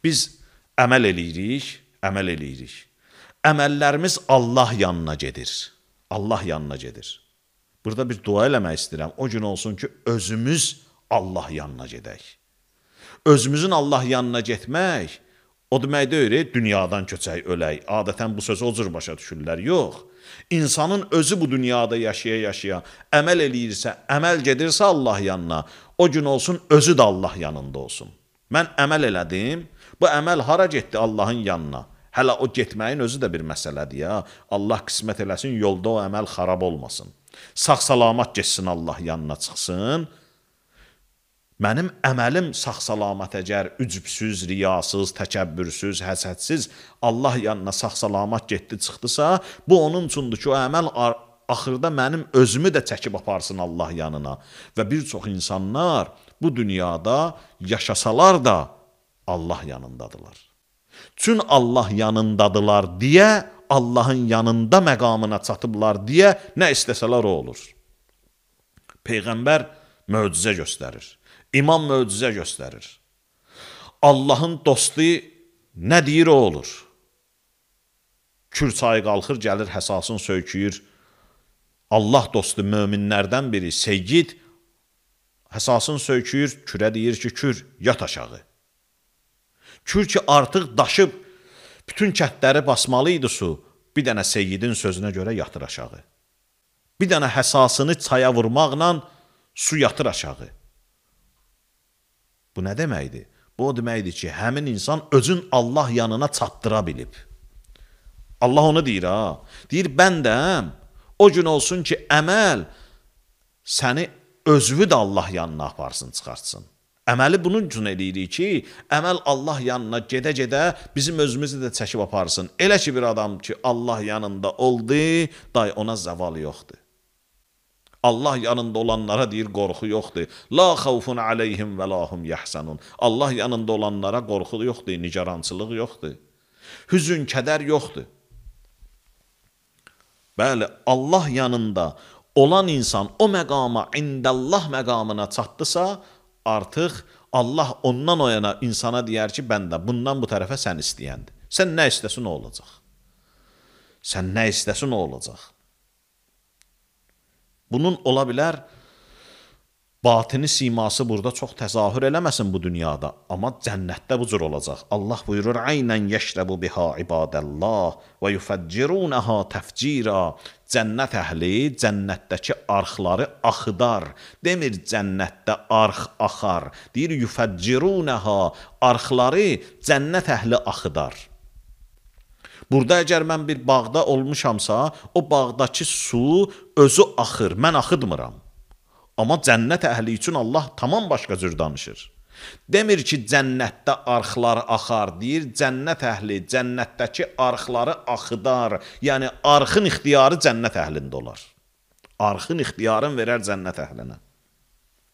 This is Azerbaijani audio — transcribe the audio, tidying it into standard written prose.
Biz əməl eləyirik. Əməllərimiz Allah yanına gedir. Allah yanına gedir. Burada bir dua eləmək istəyirəm. O gün olsun ki, özümüz Allah yanına gedək. Özümüzün Allah yanına getmək, o demək deyil, dünyadan köçək, ölək. Adətən bu sözü o cür başa düşürlər. Yox. İnsanın özü bu dünyada yaşaya-yaşaya əməl eləyirsə, əməl gedirsə Allah yanına, o gün olsun özü də Allah yanında olsun. Mən əməl elədim, bu əməl hara getdi Allahın yanına? Hələ o getməyin özü də bir məsələdir ya. Allah qismət eləsin, yolda o əməl xarab olmasın. Sağ-salamat geçsin Allah yanına çıxsın. Mənim əməlim sağ-salamat əgər ücübsüz, riyasız, təkəbbürsüz, həsədsiz Allah yanına sağ-salamat getdi, çıxdısa, bu onun üçündür ki, o əməl axırda mənim özümü də çəkib aparsın Allah yanına. Və bir çox insanlar bu dünyada yaşasalar da Allah yanındadılar. Çün Allah yanındadılar deyə, Allahın yanında məqamına çatıblar deyə nə istəsələr o olur. Peyğəmbər möcüzə göstərir. İmam möcüzə göstərir. Allahın dostu nə deyir o olur. Kür çayı qalxır, gəlir, həsasını söyküyür. Allah dostu möminlərdən biri, Seyyid, həsasını söyküyür, kürə deyir ki, kür, yat aşağı. Kür ki, artıq daşıb, bütün kətləri basmalı idi su, bir dənə Seyyidin sözünə görə yatır aşağı. Bir dənə həsasını çaya vurmaqla su yatır aşağı. Bu nə deməkdir? Bu o deməkdir ki, həmin insan özün Allah yanına çatdıra bilib. Allah onu deyir, ha. Deyir, bəndəm, o gün olsun ki, əməl səni özünü də Allah yanına aparsın, çıxartsın. Əməli bunun üçün eləyirik ki, əməl Allah yanına gedə-gedə bizim özümüzü də çəkib aparsın. Elə ki, bir adam ki, Allah yanında oldu, day ona zəval yoxdur. Allah yanında olanlara deyir, qorxu yoxdur. La xavfun aleyhim və lahum yəhsənun. Allah yanında olanlara qorxu yoxdur, nigarançılıq yoxdur. Hüzün, kədər yoxdur. Bəli, Allah yanında olan insan o məqama, indəllah məqamına çatdısa, artıq Allah ondan o yana insana deyər ki, bəndə bundan bu tərəfə sən istəyəndir. Sən nə istəsin o olacaq. Sən nə istəsin o olacaq. Bunun ola bilər, batini siması burada çox təzahür eləməsin bu dünyada, amma cənnətdə bu cür olacaq. Allah buyurur, Aynən yəşrəbu biha ibadəllah və yufəccirunəha təfcira. Cənnət əhli cənnətdəki arxları axıdar. Demir cənnətdə arx axar. Deyir, yufəccirunəha, arxları cənnət əhli axıdar. Burada əgər mən bir bağda olmuşamsa, o bağdakı su özü axır, mən axıdmıram. Amma cənnət əhli üçün Allah tamam başqa cür danışır. Demir ki, cənnətdə arxlar axar, deyir, cənnət əhli cənnətdəki arxları axıdar. Yəni, arxın ixtiyarı cənnət əhlində olar. Arxın ixtiyarını verər cənnət əhlinə.